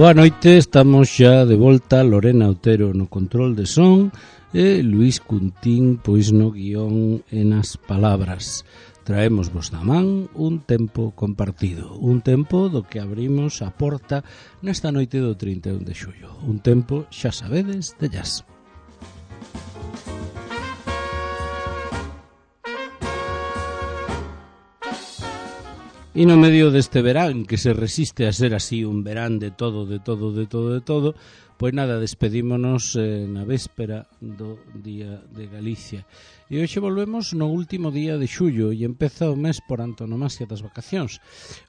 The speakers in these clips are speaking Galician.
Boa noite, estamos xa de volta, Lorena Otero no control de son e Luís Cuntín pois no guión e nas palabras. Traemos vos na man un tempo compartido, un tempo do que abrimos a porta nesta noite do 31 de xullo, un tempo, xa sabedes, de jazz. E no medio deste verán, que se resiste a ser así un verán de todo, pois nada, despedímonos na véspera do Día de Galicia. E hoxe volvemos no último día de xullo e empeza o mes por antonomasia das vacacións.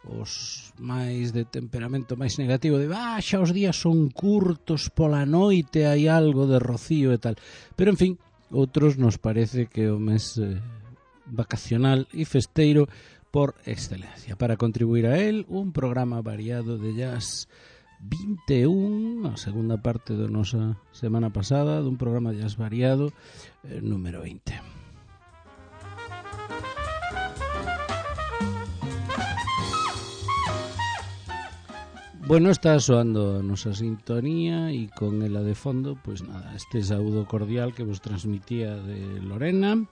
Os máis de temperamento máis negativo de xa os días son curtos, pola noite hai algo de rocío e tal. Pero en fin, outros nos parece que o mes vacacional e festeiro por excelencia. Para contribuir a él, un programa variado de jazz 21, a segunda parte da nosa semana pasada, dun programa de jazz variado número 20. Bueno, está soando a nosa sintonía e con ela de fondo, pois nada, este saúdo cordial que vos transmitía de Lorena.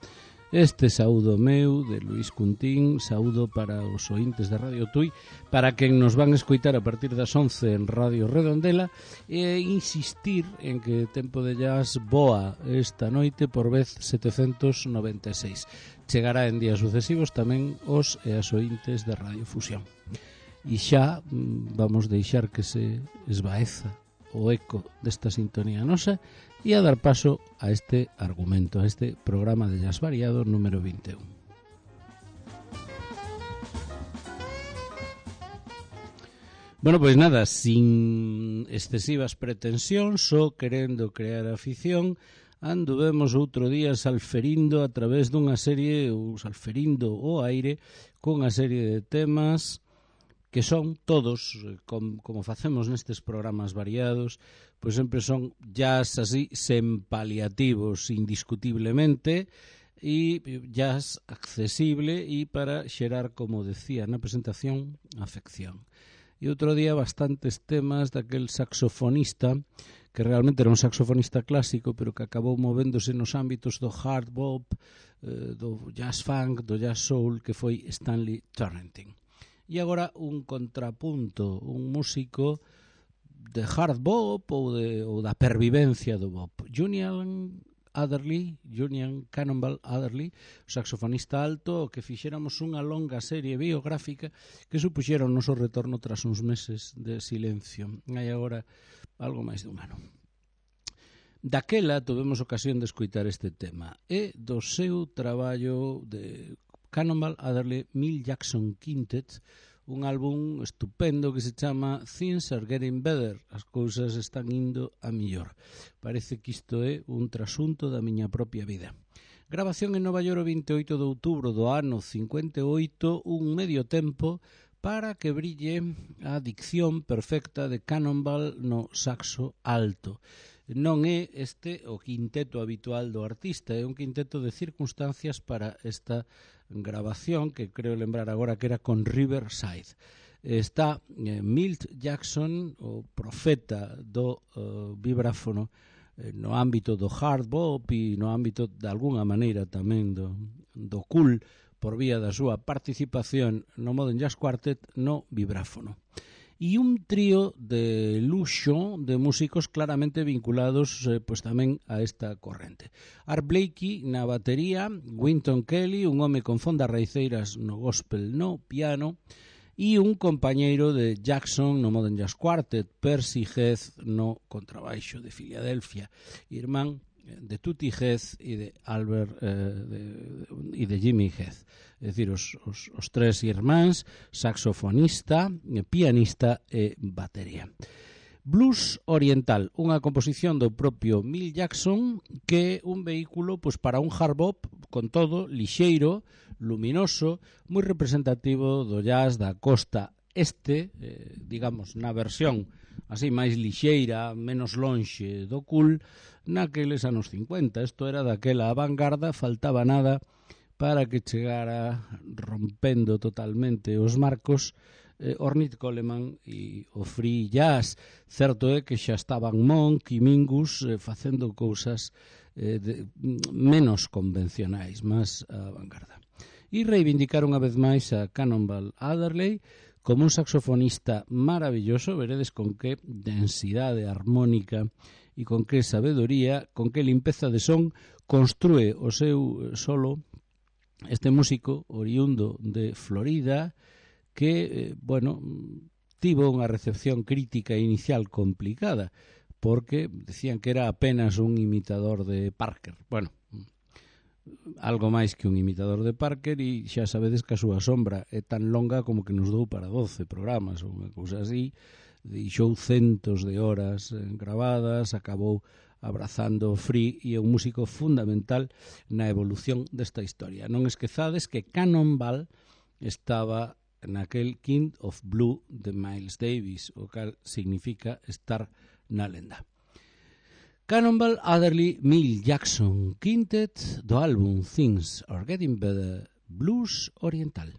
Este saúdo meu, de Luís Cuntín, saúdo para os ointes de Radio Tui, para quen nos van escoitar a partir das 11 en Radio Redondela, e insistir en que Tempo de Jazz voa esta noite por vez 796. Chegará en días sucesivos tamén os e as ointes de Radio Fusión. E xa vamos deixar que se esvaeza o eco desta sintonía nosa e a dar paso a este argumento, a este programa de jazz variado número 21. Bueno, pois nada, sin excesivas pretensións, só querendo crear afición, anduvemos outro día salferindo a través dunha serie, ou salferindo o aire, cunha serie de temas que son todos, como facemos nestes programas variados, pois sempre son jazz así, sen paliativos, indiscutiblemente, e jazz accesible e para xerar, como decía na presentación, afección. E outro día bastantes temas daquel saxofonista, que realmente era un saxofonista clásico, pero que acabou movéndose nos ámbitos do hard bop, do jazz funk, do jazz soul, que foi Stanley Turrentine. E agora un contrapunto, un músico de hard bop ou da pervivencia do bop. Julian Cannonball Adderley, o saxofonista alto, que fixéramos unha longa serie biográfica que supuxera o noso retorno tras uns meses de silencio. Hai agora algo máis de un ano. Daquela tivemos ocasión de escoitar este tema e do seu traballo de Cannonball Adderley Milt Jackson Quintet, un álbum estupendo que se chama Things Are Getting Better, as cousas están indo a millor. Parece que isto é un trasunto da miña propia vida. Grabación en Nova York o 28 de outubro do ano 58, un medio tempo para que brille a dicción perfecta de Cannonball no saxo alto. Non é este o quinteto habitual do artista, é un quinteto de circunstancias para esta grabación, que creo lembrar agora que era con Riverside. Está Milt Jackson, o profeta do vibráfono, no ámbito do hard bop e no ámbito, de alguna maneira, tamén do cool, por vía da súa participación no Modern Jazz Quartet no vibráfono. E un trío de luxo de músicos claramente vinculados pois tamén a esta corrente. Art Blakey na batería, Wynton Kelly, un home con fondas raiceiras no gospel no piano, e un compañeiro de Jackson no Modern Jazz Quartet, Percy Heath no contrabaixo de Filadelfia, irmán de Tutti Heath e de Albert e de Jimmy Heath. É dicir, os tres irmáns, saxofonista, pianista e batería. Blues Oriental, unha composición do propio Milt Jackson, que é un vehículo pois, para un hard bop, con todo, lixeiro, luminoso, moi representativo do jazz da costa este, digamos, na versión así máis lixeira, menos lonxe do cool, naqueles anos 50. Isto era daquela vanguarda, faltaba nada para que chegara rompendo totalmente os marcos Ornette Coleman e o free jazz. Certo é que xa estaban Monk e Mingus facendo cousas menos convencionais, máis a vanguarda. E reivindicar unha vez máis a Cannonball Adderley como un saxofonista maravilloso. Veredes con que densidade armónica e con que sabedoría, con que limpeza de son construe o seu solo este músico oriundo de Florida, que, tivo unha recepción crítica inicial complicada, porque decían que era apenas un imitador de Parker. Algo máis que un imitador de Parker, e xa sabedes que a súa sombra é tan longa como que nos dou para 12 programas ou unha cousa así. Deixou centos de horas gravadas, acabou abrazando o free e é un músico fundamental na evolución desta historia. Non esquezades que Cannonball estaba naquel King of Blue de Miles Davis, o cal significa estar na lenda. Cannonball Adderley Mill Jackson Quintet do álbum Things Are Getting Better, Blues Oriental.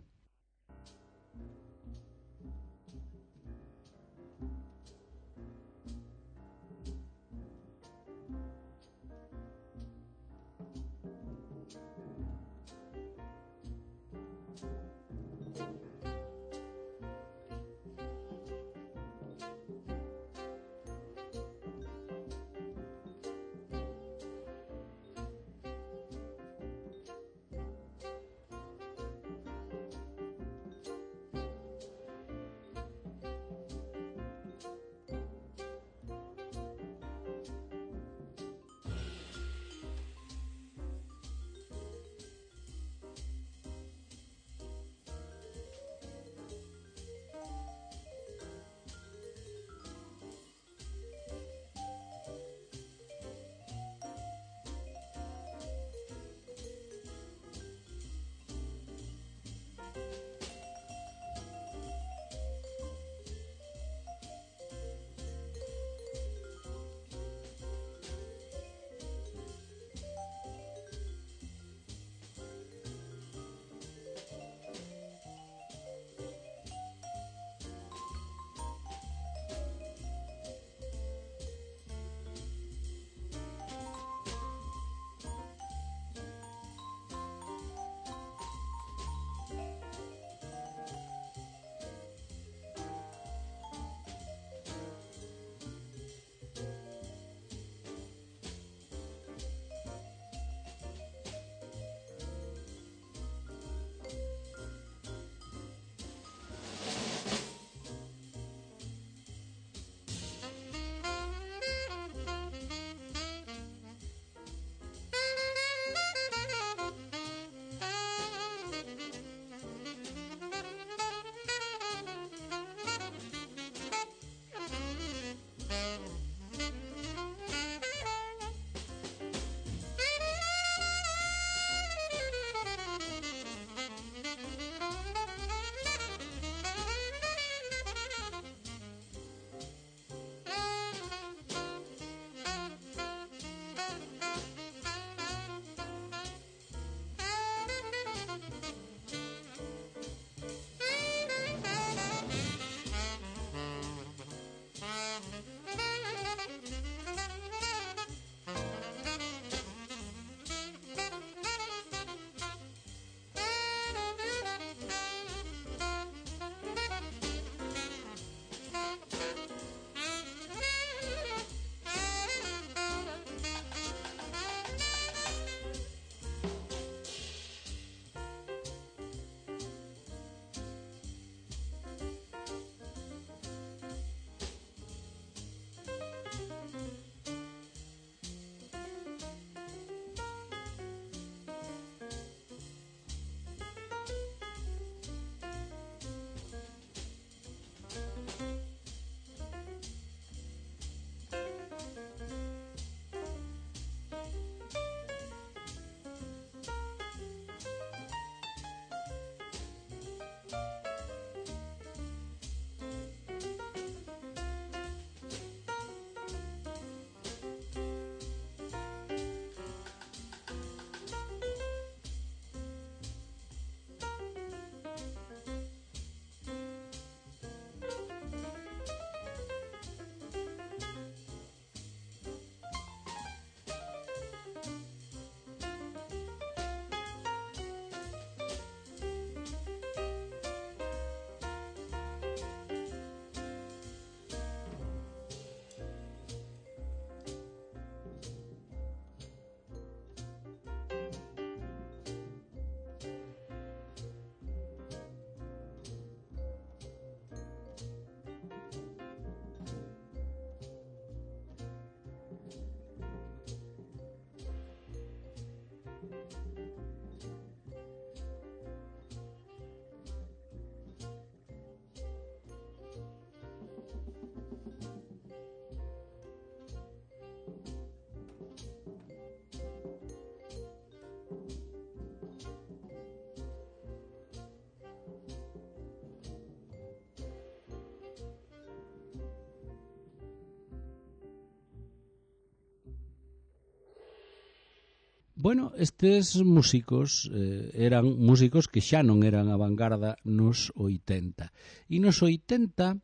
Bueno, estes músicos eran músicos que xa non eran a vanguarda nos 80. E nos 80,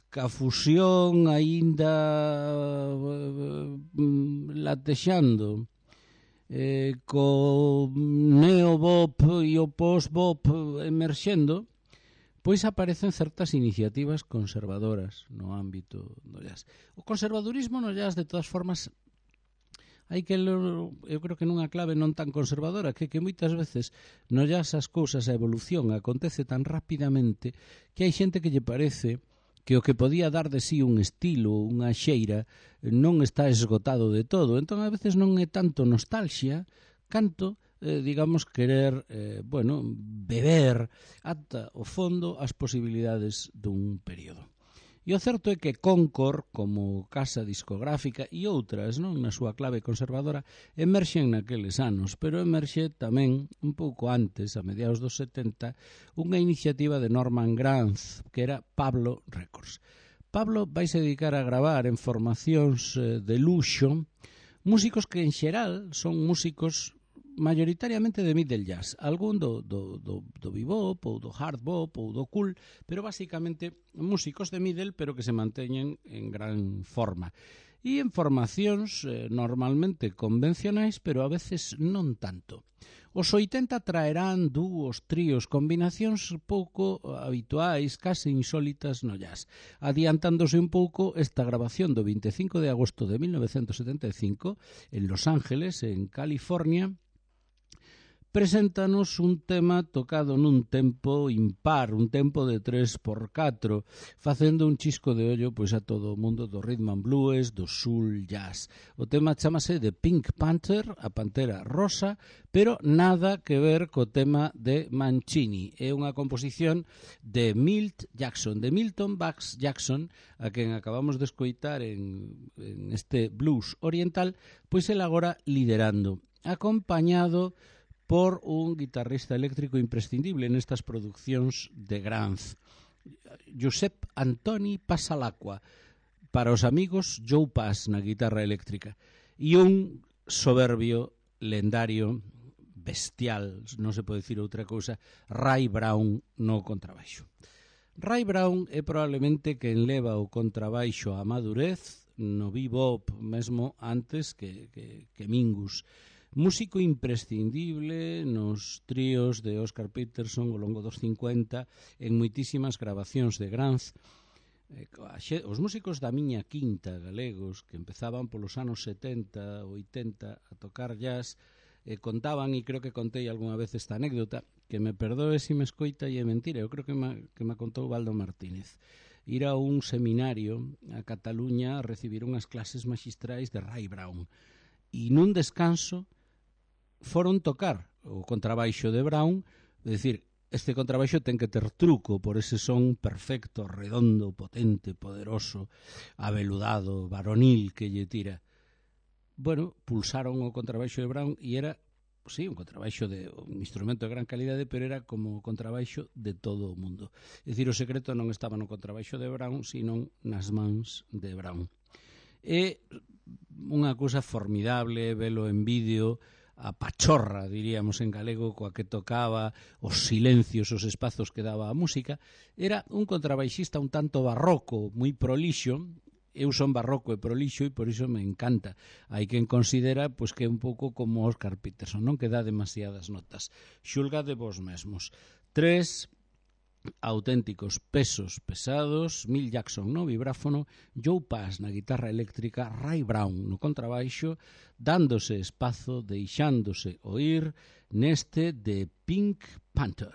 ca fusión aínda latexando, co neo-bop e o post-bop emerxendo, pois aparecen certas iniciativas conservadoras no ámbito do jazz. O conservadurismo no jazz, de todas formas, hai que eu creo que nunha clave non tan conservadora, que moitas veces no jazz as cousas, a evolución acontece tan rapidamente que hai xente que lle parece que o que podía dar de sí un estilo, unha xeira, non está esgotado de todo. Entón, a veces non é tanto nostalgia, canto, digamos, querer, beber ata o fondo as posibilidades dun período. E o certo é que Concord, como casa discográfica e outras, non, na súa clave conservadora, emerxen naqueles anos, pero emerxe tamén un pouco antes, a mediados dos 70, unha iniciativa de Norman Granz, que era Pablo Records. Pablo vaise dedicar a gravar en formacións de luxo músicos que en xeral son músicos mayoritariamente de middle jazz, algún do bebop ou do hard bop ou do cool, pero basicamente músicos de middle pero que se manteñen en gran forma. E en formacións normalmente convencionais, pero a veces non tanto. Os 80 traerán dúos, tríos, combinacións pouco habituais, case insólitas no jazz, adiantándose un pouco esta grabación do 25 de agosto de 1975 en Los Ángeles, en California. Preséntanos un tema tocado nun tempo impar, un tempo de 3x4, facendo un chisco de ollo pois a todo o mundo do rhythm and blues, do soul jazz. O tema chamase The Pink Panther, a pantera rosa, pero nada que ver co tema de Mancini. É unha composición de Milt Jackson, de Milton Bax Jackson, a quen acabamos de escoitar en este blues oriental, pois el agora liderando, acompañado por un guitarrista eléctrico imprescindible nestas produccións de Granz, Josep Antoni Pasalacqua, para os amigos Joe Pass na guitarra eléctrica, e un soberbio, lendario, bestial, non se pode dicir outra cousa, Ray Brown no contrabaixo. Ray Brown é probablemente quen leva o contrabaixo a madurez no bebop, mesmo antes que Mingus. Músico imprescindible nos tríos de Oscar Peterson ao longo dos 50, en moitísimas grabacións de Granz. Os músicos da miña quinta galegos, que empezaban polos anos 70, 80 a tocar jazz, contaban, e creo que contei algunha vez esta anécdota, que me perdoe se me escoita e é mentira, eu creo que me contou Baldo Martínez. Ir a un seminario a Cataluña a recibir unhas clases magistrais de Ray Brown, e nun descanso foron tocar o contrabaixo de Brown, é dicir, este contrabaixo ten que ter truco por ese son perfecto, redondo, potente, poderoso, aveludado, varonil que lle tira. Bueno, pulsaron o contrabaixo de Brown e era, sí, un contrabaixo un instrumento de gran calidade, pero era como o contrabaixo de todo o mundo. É dicir, o secreto non estaba no contrabaixo de Brown, sino nas mans de Brown. É unha cousa formidable velo en vídeo, a pachorra, diríamos en galego, coa que tocaba, os silencios, os espazos que daba a música. Era un contrabaixista un tanto barroco, moi prolixo. Eu son barroco e prolixo e por iso me encanta. Hai quen considera pois, que é un pouco como Oscar Peterson, non que dá demasiadas notas. Xulgade vos mesmos. 3 auténticos pesos pesados, Milt Jackson no vibráfono, Joe Pass na guitarra eléctrica, Ray Brown no contrabaixo, dándose espazo, deixándose oír neste de Pink Panther.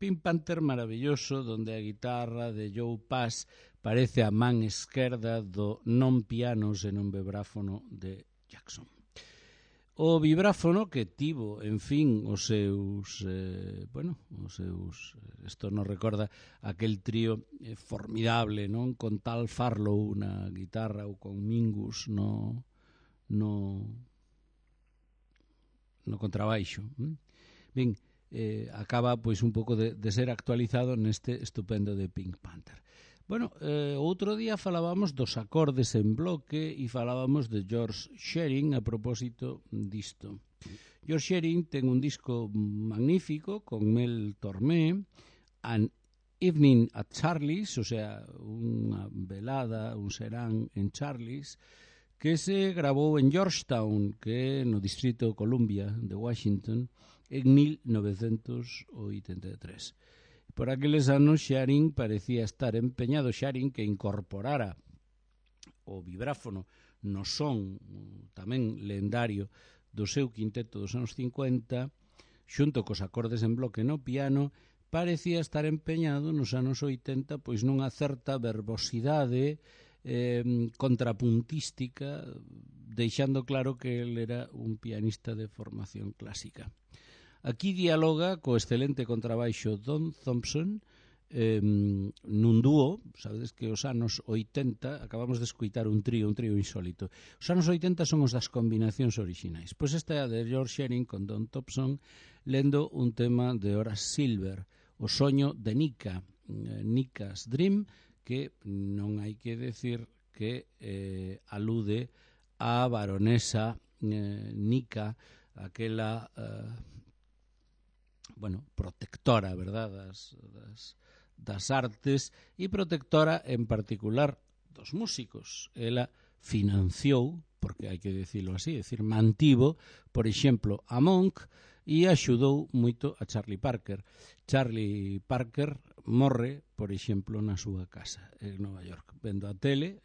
Pink Panther maravilloso, donde a guitarra de Joe Pass parece a man esquerda do non piano senón vibráfono de Jackson. O vibráfono que tivo, en fin, os seus, isto nos recorda aquel trío formidable, non? Con Tal Farlow na guitarra ou con Mingus no contrabaixo. Ben, acaba pois un pouco de ser actualizado neste estupendo de Pink Panther. Bueno, outro día falábamos dos acordes en bloque e falábamos de George Shearing a propósito disto. George Shearing ten un disco magnífico con Mel Tormé, An Evening at Charlie's, o sea, unha velada, un serán en Charlie's, que se grabou en Georgetown, que é no Distrito Columbia de Washington, en 1983. Por aqueles anos, Shearing parecía estar empeñado, Shearing que incorporara o vibráfono no son tamén lendario do seu quinteto dos anos 50, xunto cos acordes en bloque no piano, parecía estar empeñado nos anos 80 pois nunha certa verbosidade contrapuntística, deixando claro que el era un pianista de formación clásica. Aquí dialoga co excelente contrabaixo Don Thompson nun dúo. Sabedes que os anos 80 acabamos de escoitar un trío insólito. Os anos 80 son os das combinacións orixinais. Pois esta é a de George Shearing con Don Thompson lendo un tema de Horace Silver, O soño de Nika, Nika's Dream, que non hai que decir que alude á baronesa Nika, aquela protectora, verdad, das artes, e protectora en particular dos músicos. Ela financiou, porque hai que dicilo así, mantivo, por exemplo, a Monk, e axudou moito a Charlie Parker. Charlie Parker morre, por exemplo, na súa casa en Nova York, vendo a tele.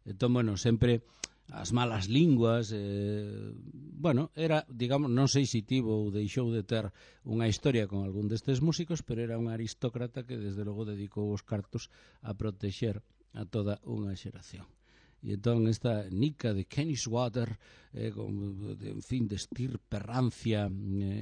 Entón, sempre as malas linguas, era, digamos, non sei se tivo ou deixou de ter unha historia con algún destes músicos, pero era un aristócrata que desde logo dedicou os cartos a protexer a toda unha xeración. E entón esta Nika de Kenniswater, en fin, de estirpe rancia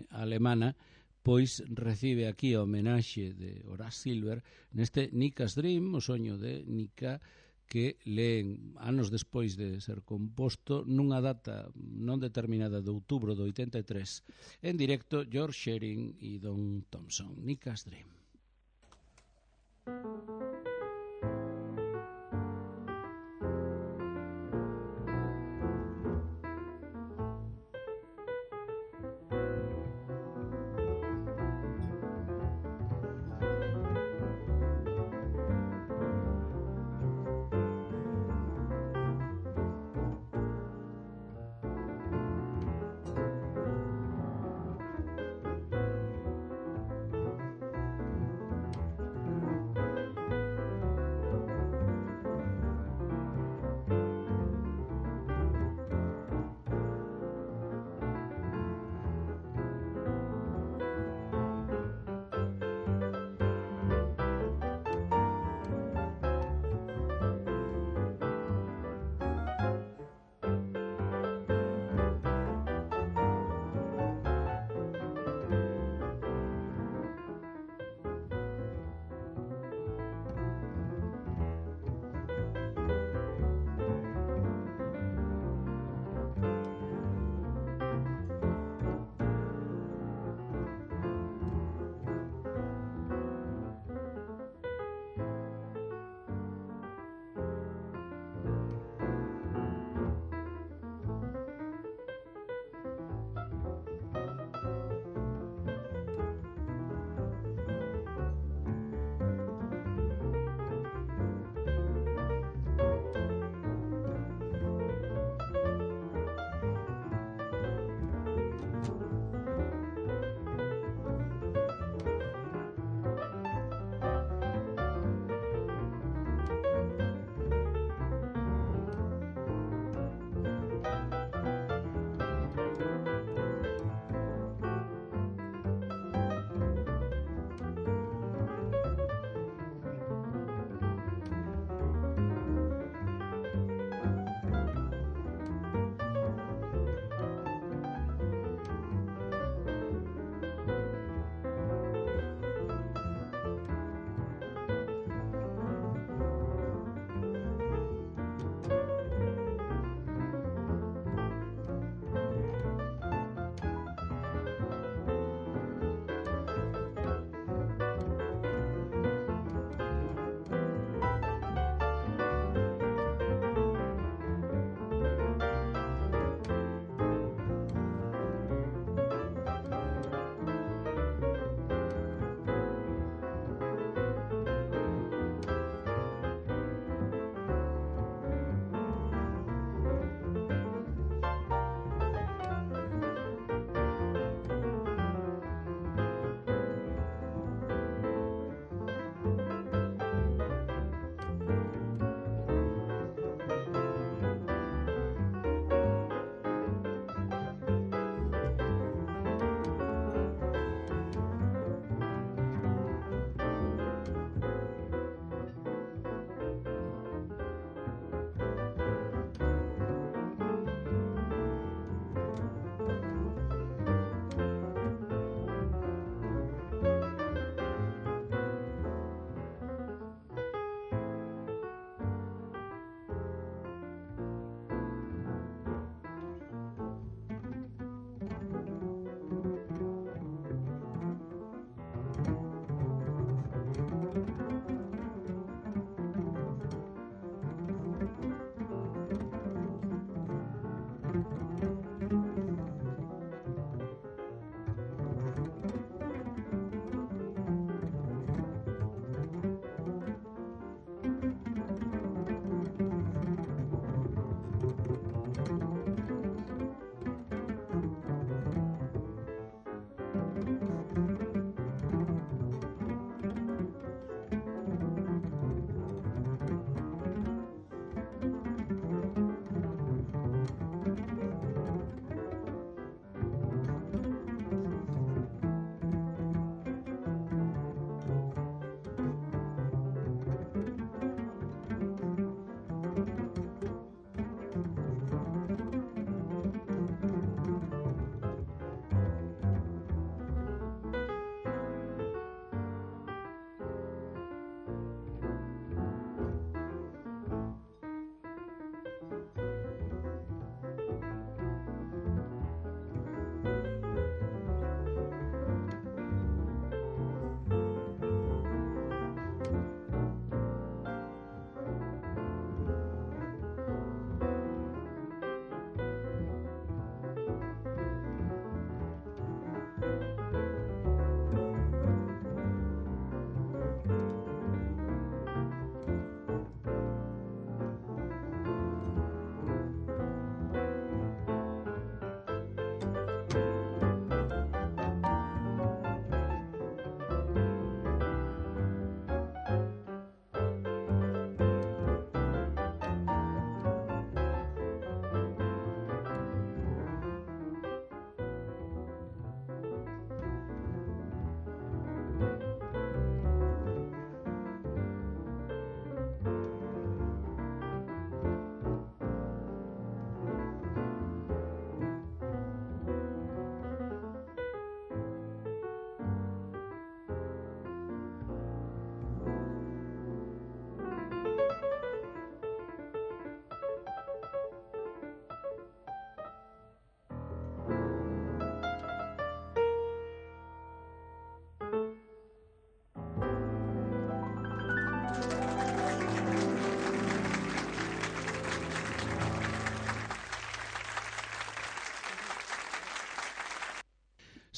alemana, pois recibe aquí a homenaxe de Horace Silver neste Nika's Dream, o soño de Nika, que leen anos despois de ser composto nunha data non determinada de outubro do 83, en directo George Shearing e Don Thompson. Nika's Dream.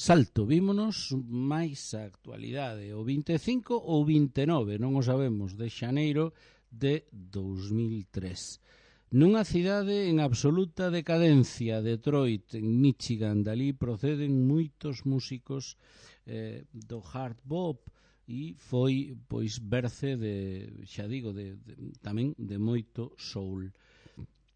salto, vímonos máis a actualidade, o 25 ou 29, non o sabemos, de xaneiro de 2003. Nunha cidade en absoluta decadencia, Detroit, en Michigan, dali proceden moitos músicos do hard bop e foi pois berce de, xa digo, tamén de moito soul.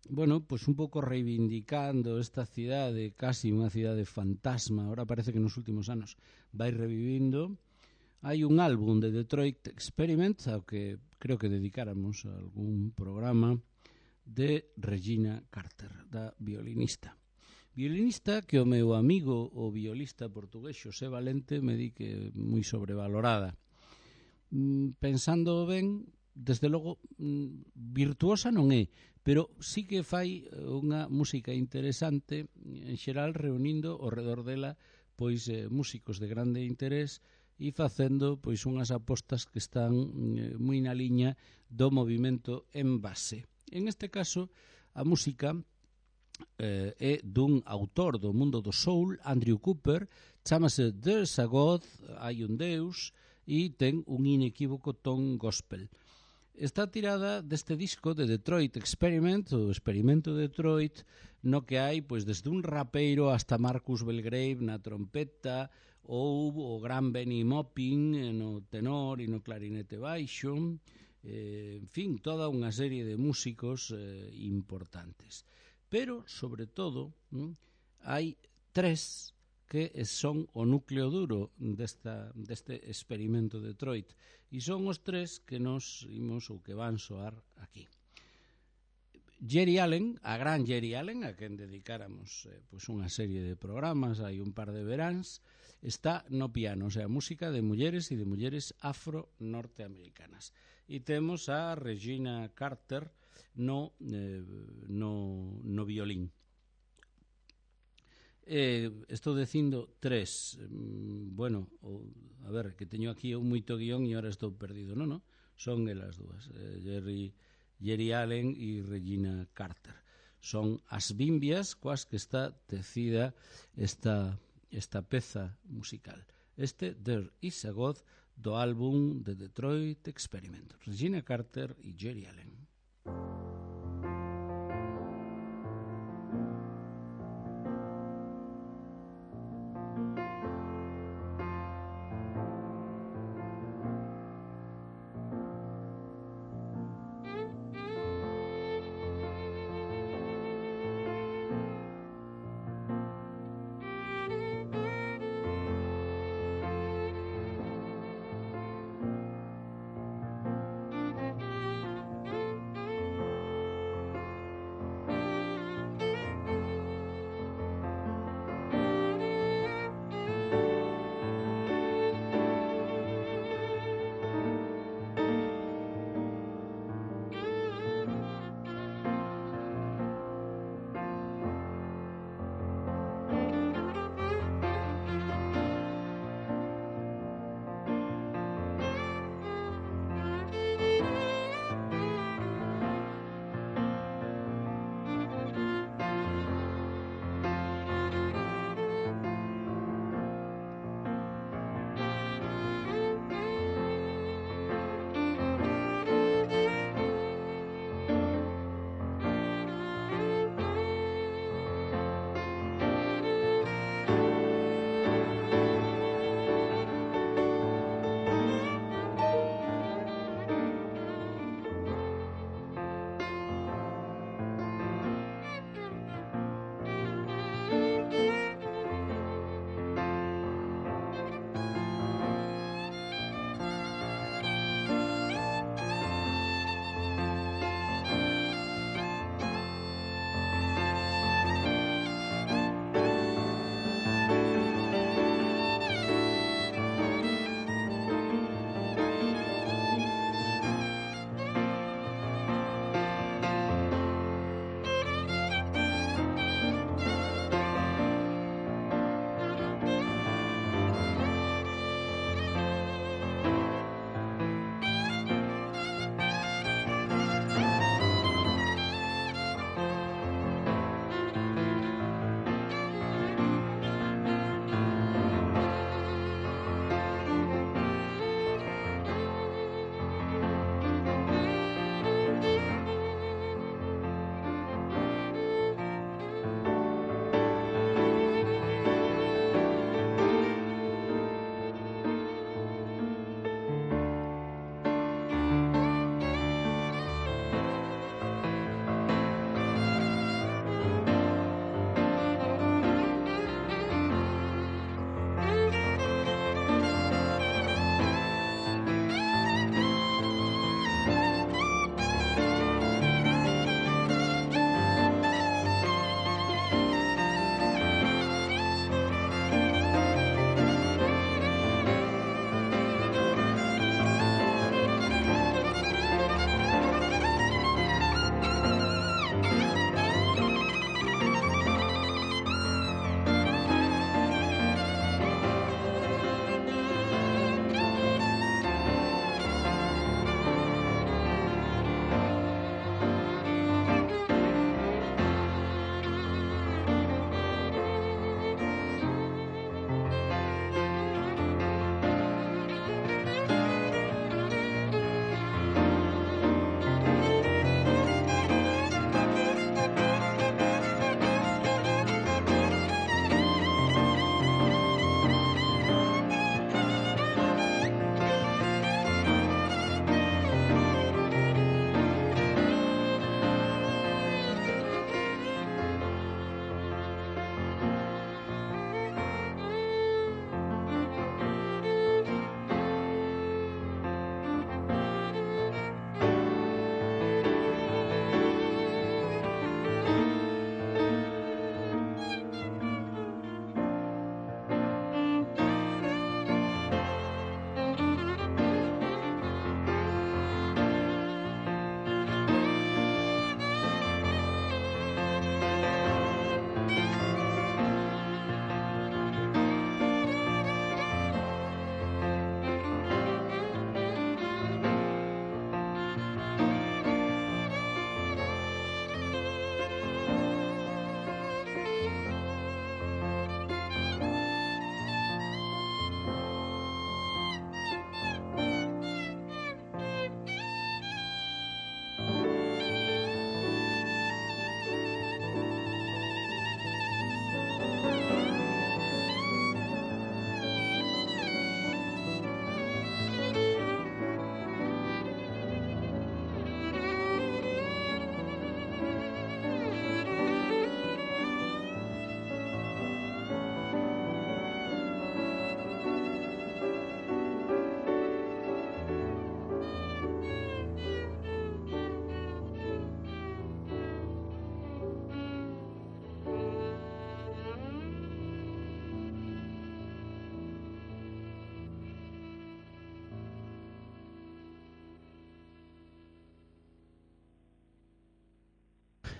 Bueno, pois un pouco reivindicando esta cidade, casi unha cidade fantasma, ahora parece que nos últimos anos vai revivindo. Hai un álbum de Detroit Experiment ao que creo que dedicáramos a algún programa, de Regina Carter, da violinista. Violinista que o meu amigo, o violista portugués Xosé Valente, me di que é moi sobrevalorada. Pensando ben, desde logo, virtuosa non é, pero sí que fai unha música interesante, en xeral reunindo ao redor dela pois músicos de grande interés e facendo pois unhas apostas que están moi na liña do movimento en base. En este caso, a música é dun autor do mundo do soul, Andrew Cooper, chamase There's a God, hai un Deus, e ten un inequívoco ton gospel. Está tirada deste disco de Detroit Experiment, o Experimento de Detroit, no que hai pois desde un rapeiro hasta Marcus Belgrave na trompeta, ou o gran Benny Maupin no tenor e no clarinete baixo, en fin, toda unha serie de músicos importantes. Pero, sobre todo, hai tres que son o núcleo duro deste experimento de Detroit, e son os tres que nos imos ou que van soar aquí. Geri Allen, a gran Geri Allen, a quen dedicáramos pois unha serie de programas, hai un par de veráns, está no piano, o sea, música de mulleres e de mulleres afro-norteamericanas. E temos a Regina Carter no violín. Estou dicindo tres. Bueno, a ver, que teño aquí moito guión e ahora estou perdido. Non, son elas dúas, Geri Allen e Regina Carter. Son as bimbias coas que está tecida esta peza musical. There is a God, do álbum de Detroit Experiment. Regina Carter e Geri Allen.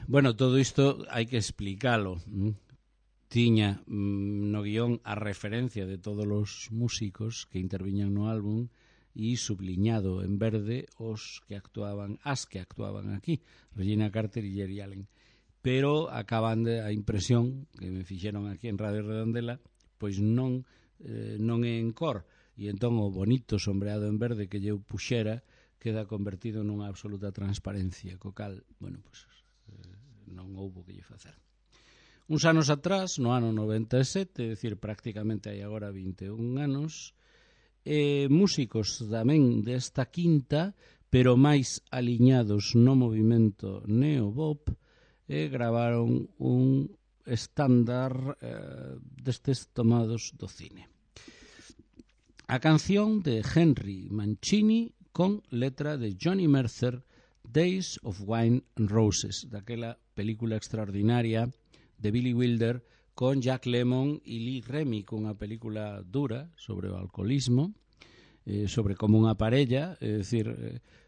Bueno, todo isto hai que explicalo. Tiña no guión a referencia de todos os músicos que interviñan no álbum e subliñado en verde as que actuaban aquí, Regina Carter e Geri Allen. Pero acaban a impresión que me fixeron aquí en Radio Redondela, pois non é en cor, e entón o bonito sombreado en verde que eu puxera queda convertido nunha absoluta transparencia, co cal, bueno, pois non houbo que lle facer. Uns anos atrás, no ano 97, é dicir, prácticamente hai agora 21 anos, músicos tamén desta quinta, pero máis aliñados no movimento neobop, gravaron un estándar destes tomados do cine. A canción de Henry Mancini con letra de Johnny Mercer, Days of Wine and Roses, daquela película extraordinaria de Billy Wilder con Jack Lemmon e Lee Remick, unha película dura sobre o alcoholismo, sobre como unha parella, é dicir,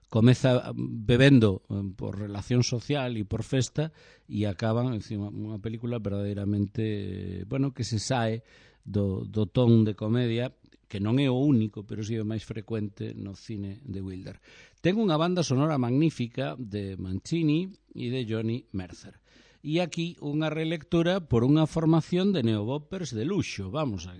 comeza bebendo por relación social e por festa e acaban, é dicir, unha película verdadeiramente, bueno, que se sae do ton de comedia, que non é o único, pero si é o máis frecuente no cine de Wilder. Ten unha banda sonora magnífica de Mancini e de Johnny Mercer. E aquí unha relectura por unha formación de neoboppers de luxo. Vamos a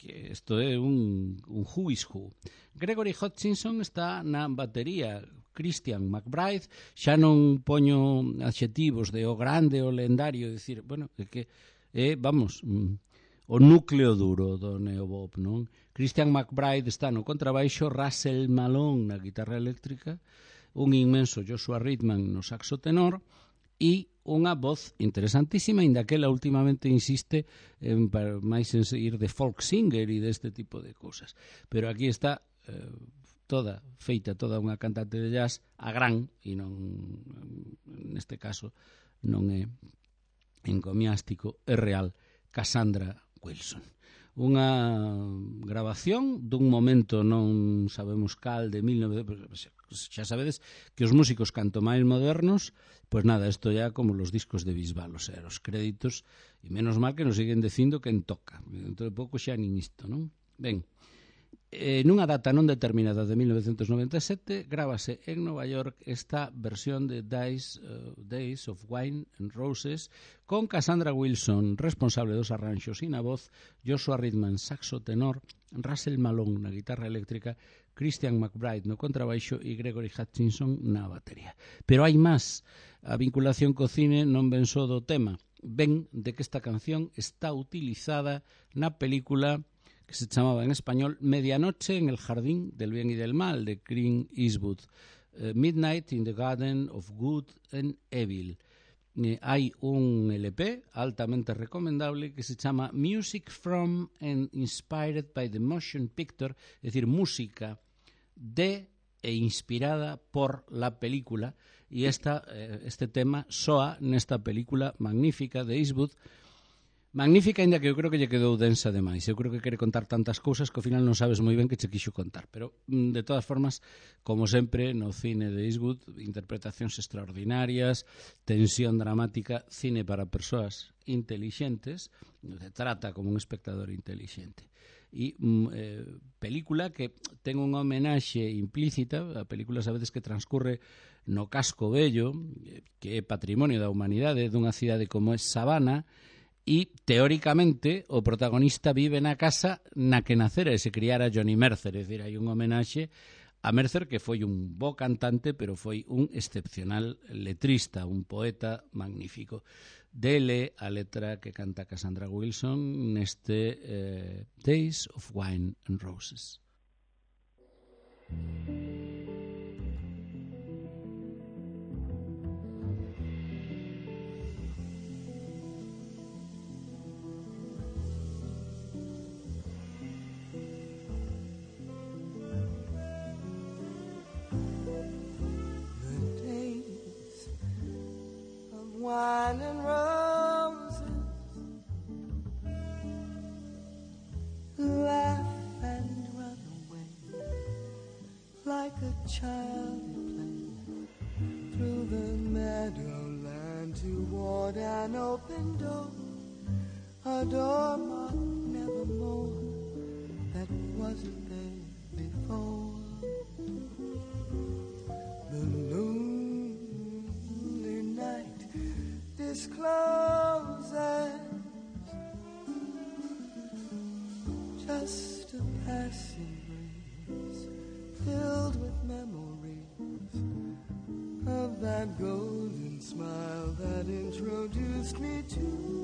que isto é un who is who. Gregory Hutchinson está na batería, Christian McBride, xa non poño adxetivos de o grande, o lendario, decir, bueno, que é, vamos, o núcleo duro do neobop, non? Christian McBride está no contrabaixo, Russell Malone na guitarra eléctrica, un inmenso Joshua Ridman no saxo tenor e unha voz interesantísima, inda que ela últimamente insiste en máis en seguir de folk singer e deste tipo de cousas. Pero aquí está toda unha cantante de jazz a gran, e non, neste caso, non é encomiástico, é real, Cassandra Wilson. Unha grabación dun momento non sabemos cal de 1900, xa sabedes que os músicos canto máis modernos, pois nada, isto ya como los discos de Bisbal, o sea, os créditos, e menos mal que nos siguen dicindo quen toca, dentro de pouco xa nin isto, non? Ben, nunha data non determinada de 1997 grábase en Nova York esta versión de Days of Wine and Roses con Cassandra Wilson responsable dos arranxos e na voz, Joshua Ridman saxo tenor, Russell Malone na guitarra eléctrica, Christian McBride no contrabaixo e Gregory Hutchinson na batería. Pero hai máis, a vinculación co cine non ven só do tema, ven de que esta canción está utilizada na película que se chamaba en español Medianoche en el Jardín del Bien y del Mal, de Clint Eastwood, Midnight in the Garden of Good and Evil. Hai un LP altamente recomendable que se chama Music from and Inspired by the Motion Picture, es decir, música de e inspirada por la película, e este tema soa nesta película magnífica de Eastwood, magnífica, ainda que eu creo que lle quedou densa demais. Eu creo que quere contar tantas cousas que ao final non sabes moi ben que che quixo contar. Pero, de todas formas, como sempre, no cine de Eastwood, interpretacións extraordinarias, tensión dramática, cine para persoas intelixentes, se trata como un espectador intelixente. E película que ten unha homenaxe implícita, a película sabedes que transcurre no Casco Vello, que é patrimonio da humanidade, dunha cidade como é Savannah, e, teóricamente, o protagonista vive na casa na que nacera e se criara Johnny Mercer. É dicir, hai un homenaxe a Mercer, que foi un bo cantante, pero foi un excepcional letrista, un poeta magnífico. Dele a letra que canta Cassandra Wilson neste Days of Wine and Roses. Wine and roses, laugh and run away like a child playing through the meadowland toward an open door, a door marked nevermore that wasn't there before. The lonely night discloses just a passing breeze filled with memories of that golden smile that introduced me to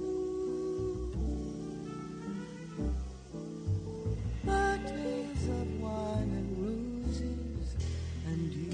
the days of wine and roses and you.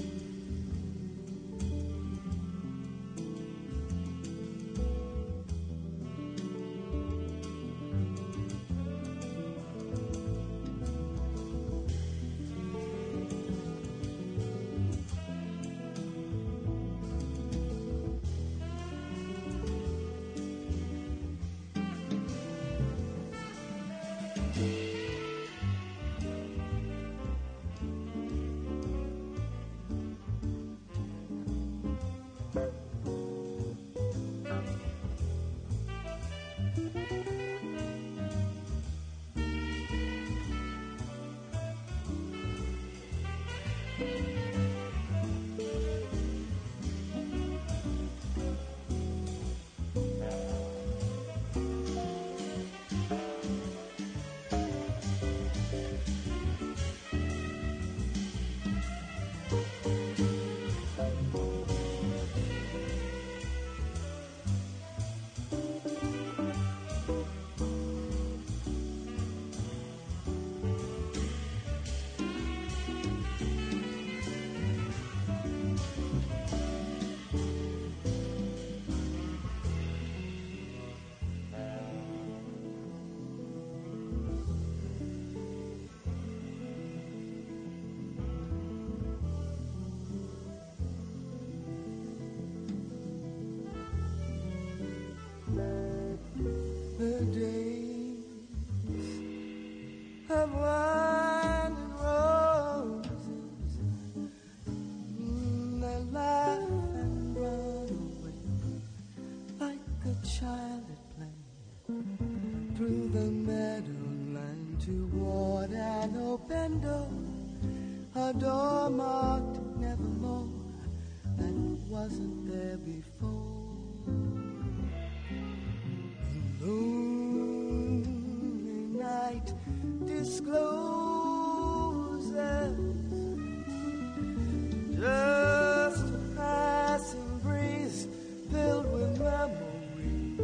The days of wine and roses, they laugh and run away like a child at play through the meadowland toward an open door, a door marked nevermore that wasn't there before. Lonely night discloses just a passing breeze filled with memories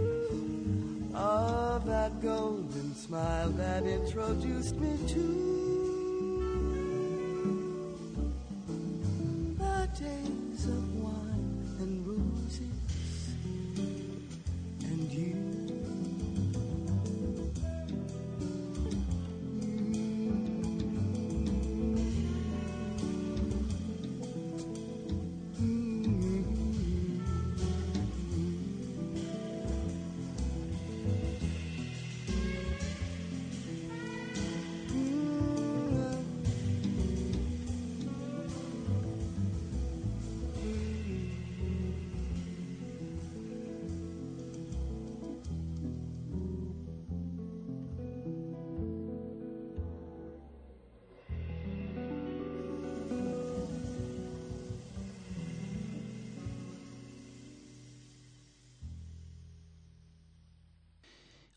of that golden smile that introduced me to the days of wine and roses and you.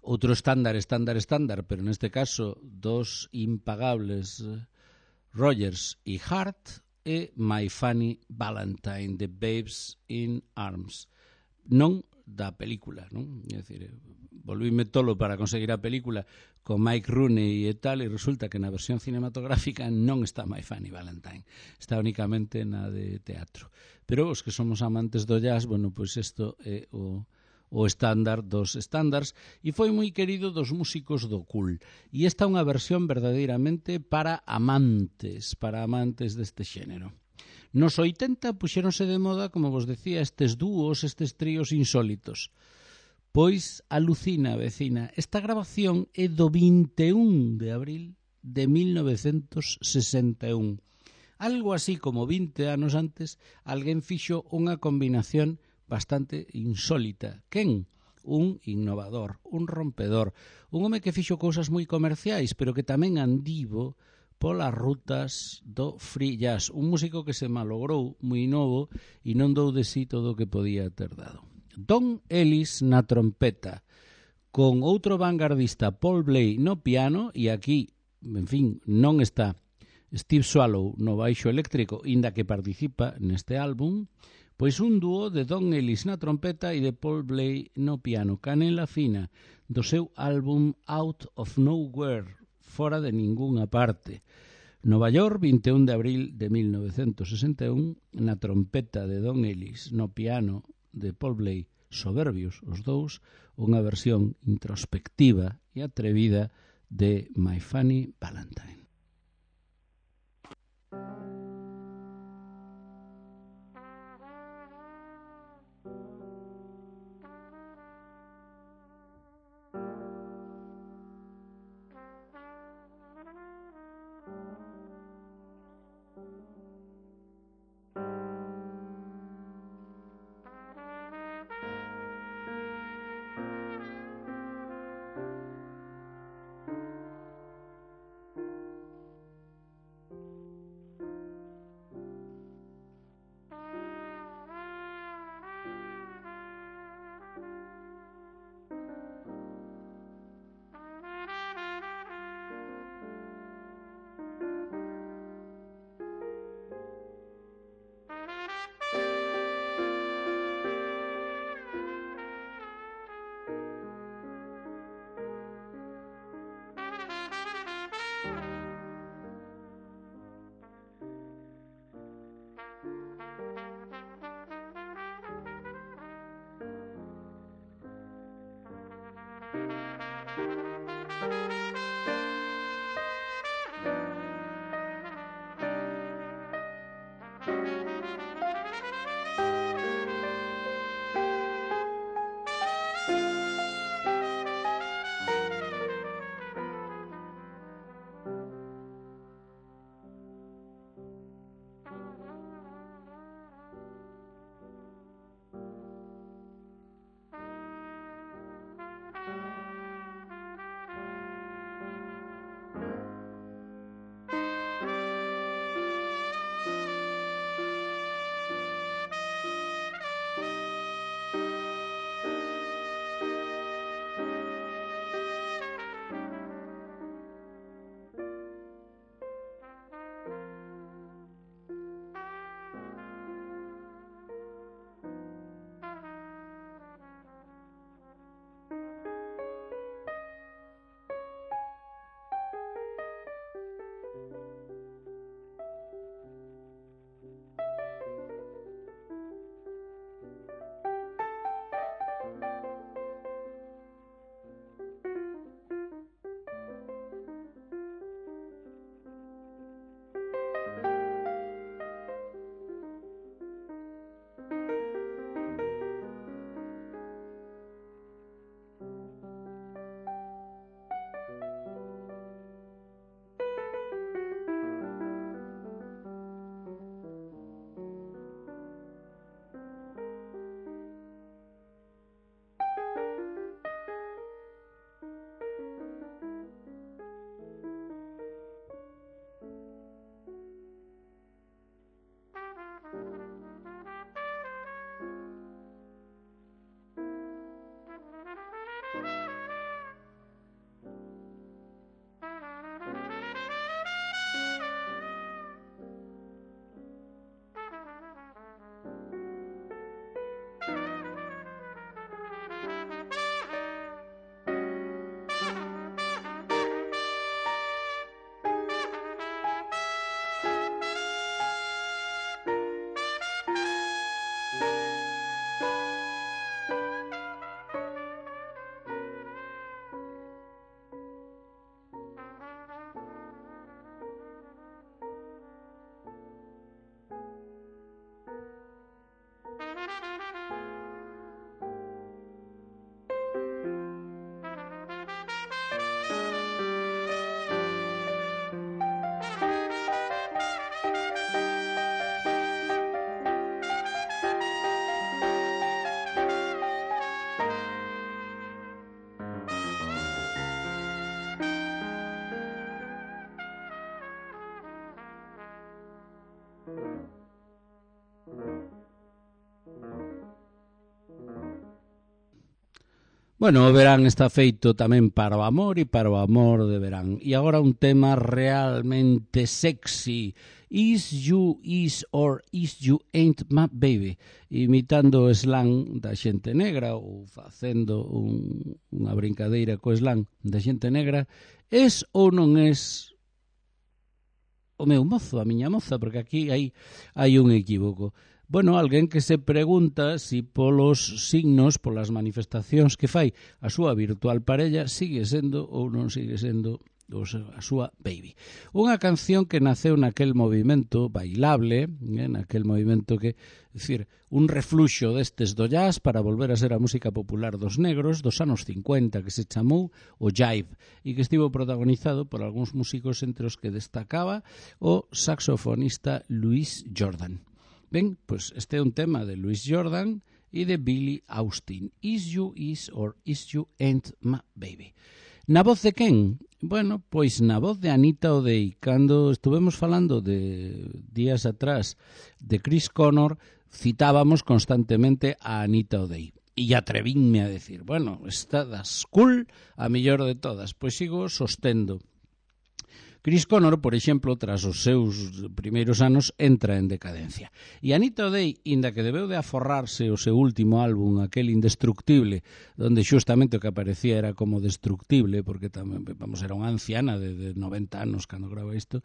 Outro estándar, pero neste caso dos impagables Rogers e Hart e My Funny Valentine, The Babes in Arms. Non da película, non? É dicir, volvíme tolo para conseguir a película con Mike Rooney e tal, e resulta que na versión cinematográfica non está My Funny Valentine, está únicamente na de teatro. Pero os que somos amantes do jazz, bueno, pois isto é o estándar dos estándares e foi moi querido dos músicos do cool. E esta é unha versión verdadeiramente para amantes deste xénero. Nos 80 puxéronse de moda, como vos decía, estes dúos, estes tríos insólitos. Pois alucina, vecina, esta grabación é do 21 de abril de 1961. Algo así como 20 anos antes, alguén fixo unha combinación bastante insólita. Quen? Un innovador, un rompedor, un home que fixo cousas moi comerciais, pero que tamén andivo polas rutas do free jazz, un músico que se malogrou moi novo e non dou de sí todo o que podía ter dado. Don Ellis na trompeta, con outro vanguardista, Paul Bley, no piano, e aquí, en fin, non está Steve Swallow no baixo eléctrico, inda que participa neste álbum, pois un dúo de Don Ellis na trompeta e de Paul Bley no piano, canela fina, do seu álbum Out of Nowhere, fora de ningunha parte. Nova York, 21 de abril de 1961, na trompeta de Don Ellis, no piano de Paul Bley, soberbios os dous, unha versión introspectiva e atrevida de My Funny Valentine. Bueno, o verán está feito tamén para o amor e para o amor de verán. E agora un tema realmente sexy. Is you is or is you ain't my baby? Imitando o slang da xente negra ou facendo unha brincadeira co slang da xente negra. Es ou non es o meu mozo, a miña moza? Porque aquí hai un equívoco. Bueno, alguén que se pregunta si polos signos, polas manifestacións que fai a súa virtual parella sigue sendo ou non sigue sendo a súa baby. Unha canción que naceu naquel movimento bailable, naquel movimento que, decir, un refluxo destes do jazz para volver a ser a música popular dos negros dos anos 50, que se chamou o jive, e que estivo protagonizado por algúns músicos entre os que destacaba o saxofonista Louis Jordan. Ben, pois este é un tema de Louis Jordan e de Billy Austin. Is you is or is you ain't my baby? Na voz de quen? Bueno, pois na voz de Anita O'Day. Cando estuvemos falando de días atrás de Chris Connor, citábamos constantemente a Anita O'Day. E atrevínme a decir, bueno, esta das cool a mellor de todas. Pois sigo sostendo. Chris Connor, por exemplo, tras os seus primeiros anos, entra en decadencia. E Anita O'Day, inda que debeu de aforrarse o seu último álbum, aquel Indestructible, donde xustamente o que aparecía era como destructible, porque tamén, vamos, era unha anciana de 90 anos cando grava isto,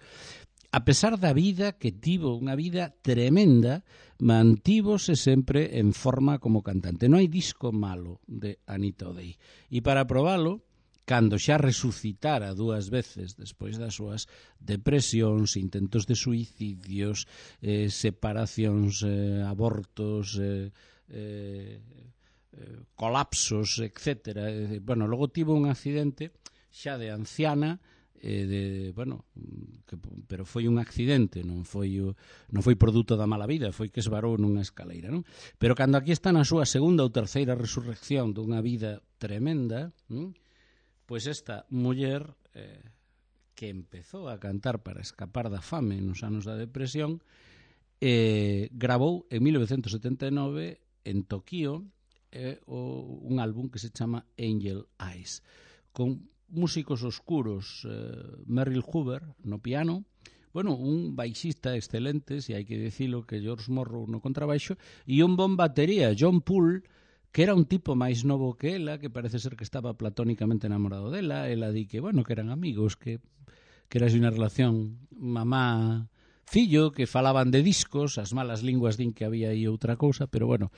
a pesar da vida que tivo, unha vida tremenda, mantívose sempre en forma como cantante. Non hai disco malo de Anita O'Day. E para probalo, cando xa resucitara 2 veces despois das súas depresións, intentos de suicidios, separacións, abortos, colapsos, etc. Bueno, logo tivo un accidente xa de anciana, pero foi un accidente, non foi produto da mala vida, foi que esvarou nunha escaleira, non? Pero cando aquí está na súa segunda ou terceira resurrección dunha vida tremenda, pois esta muller que empezou a cantar para escapar da fame nos anos da depresión, gravou en 1979 en Tokio un álbum que se chama Angel Eyes, con músicos oscuros, Merrill Hoover no piano, bueno, un baixista excelente, se hai que dicilo, que George Morrow no contrabaixo, e un bon batería, John Poole, que era un tipo máis novo que ela, que parece ser que estaba platónicamente enamorado dela. Ela di que, bueno, que eran amigos, que era así unha relación mamá-fillo, que falaban de discos, as malas linguas din que había aí outra cousa, pero bueno,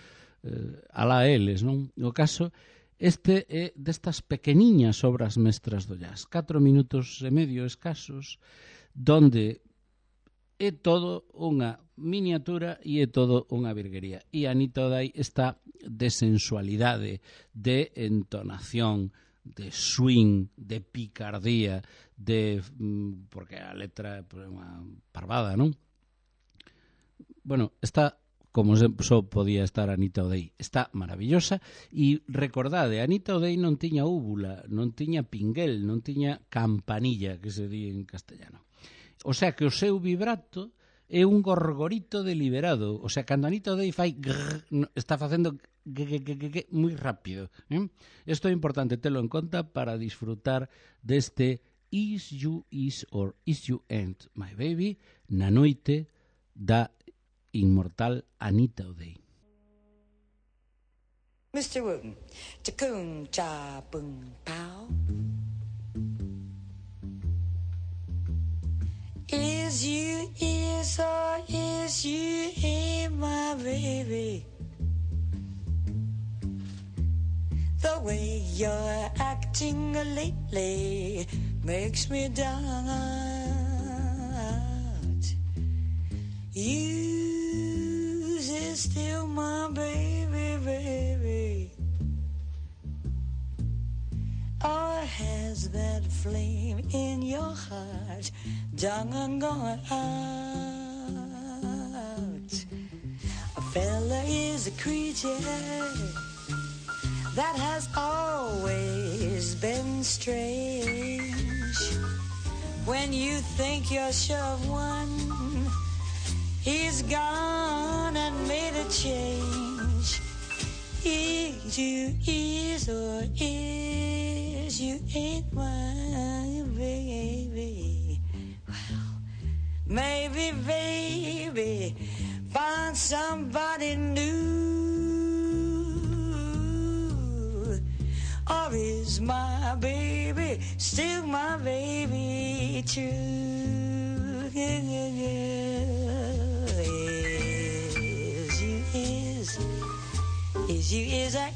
alá eles, non? O caso, este é destas pequeniñas obras mestras do jazz, 4 minutos e medio escasos, donde é todo unha miniatura e é todo unha virguería. E Anita O'Day está de sensualidade, de entonación, de swing, de picardía, porque a letra é unha parvada, non? Bueno, está como só podía estar Anita O'Day. Está maravillosa e recordade, Anita O'Day non tiña úvula, non tiña pinguel, non tiña campanilla, que se di en castellano. O sea que o seu vibrato é un gorgorito deliberado. O sea, cando Anita O'Day fai grrr, está facendo moi rápido. Isto é importante telo en conta para disfrutar deste Is You Is or Is You Ain't My Baby na noite da inmortal Anita O'Day. Mr. Wooten, Takun Cha Boom Pow. Is you is or is you ain't my baby? The way you're acting lately makes me doubt. You is still my baby, baby. Or has that flame in your heart done and gone out? A fella is a creature that has always been strange. When you think you're sure of one, he's gone and made a change. Is you is or is you ain't my baby? Well, maybe baby find somebody new. Or is my baby still my baby true?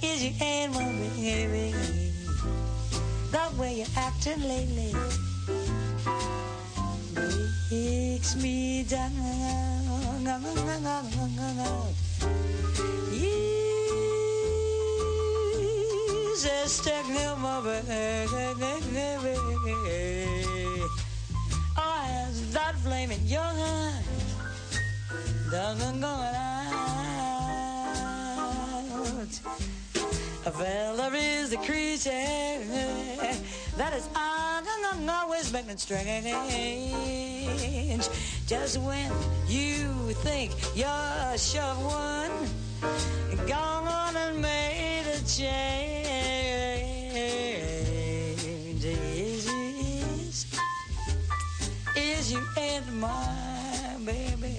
Is you ain't my baby? The way you're acting lately makes me down. Jesus, take me my baby. Oh, has that flame in your heart? Going out. A fella is the creature that is always making strange. Just when you think you're sure of one, gone on and made a change. Is you ain't my baby?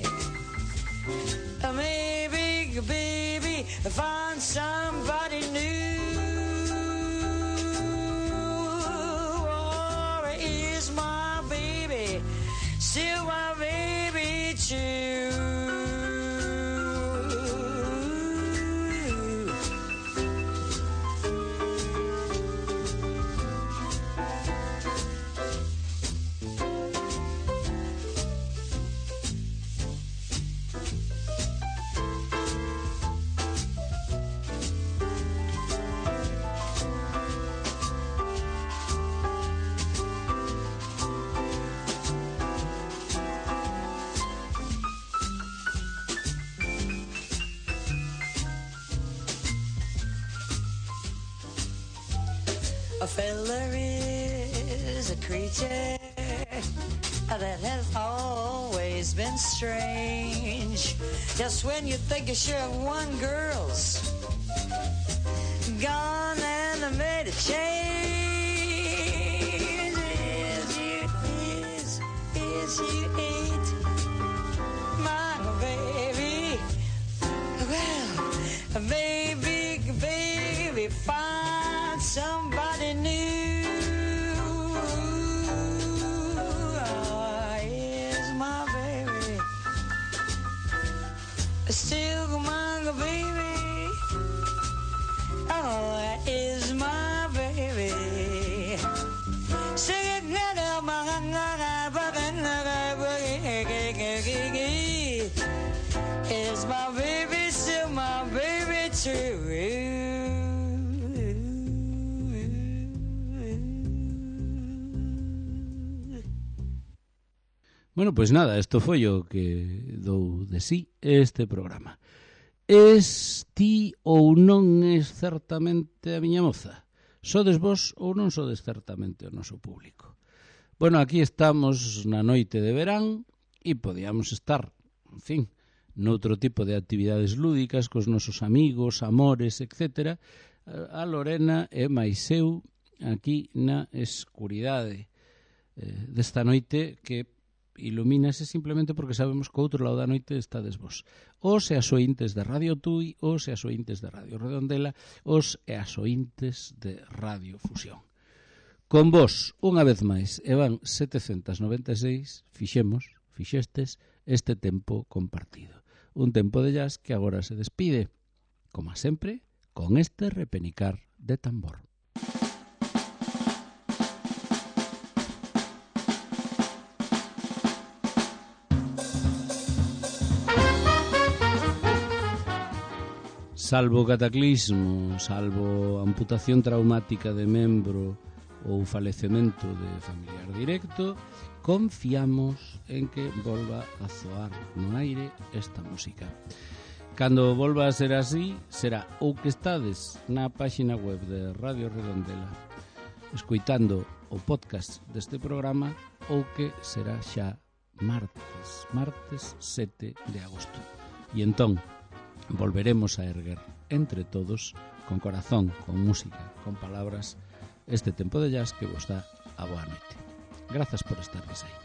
Maybe, baby, find somebody new. Or is my baby still my baby too? A fella is a creature that has always been strange. Just when you think you're sure of one, girl's gone and made a change. Is you ain't my baby? Well, baby, find somebody new. Oh, is my baby still my baby? Oh, is my baby singing is my baby still my baby too? Bueno, pois nada, isto foi o que dou de sí este programa. Es ti ou non es certamente a miña moza? Sodes vos ou non sodes certamente o noso público? Bueno, aquí estamos na noite de verán e podíamos estar, en fin, noutro tipo de actividades lúdicas cos nosos amigos, amores, etc. A Lorena e máis eu aquí na escuridade desta noite que ilumínase simplemente porque sabemos que ao outro lado da noite estades vos. Os e as ointes de Radio Tui, os e as ointes de Radio Redondela, os e as ointes de Radio Fusión. Con vos, unha vez máis, e van 796, fixestes este tempo compartido. Un tempo de jazz que agora se despide, como sempre, con este repenicar de tambor. Salvo cataclismo, salvo amputación traumática de membro ou falecemento de familiar directo, confiamos en que volva a zoar no aire esta música. Cando volva a ser así, será ou que estades na páxina web de Radio Redondela escoitando o podcast deste programa ou que será xa martes 7 de agosto. E entón volveremos a erguer entre todos, con corazón, con música, con palabras, este tempo de jazz que vos dá a boa noite. Grazas por estardes aí.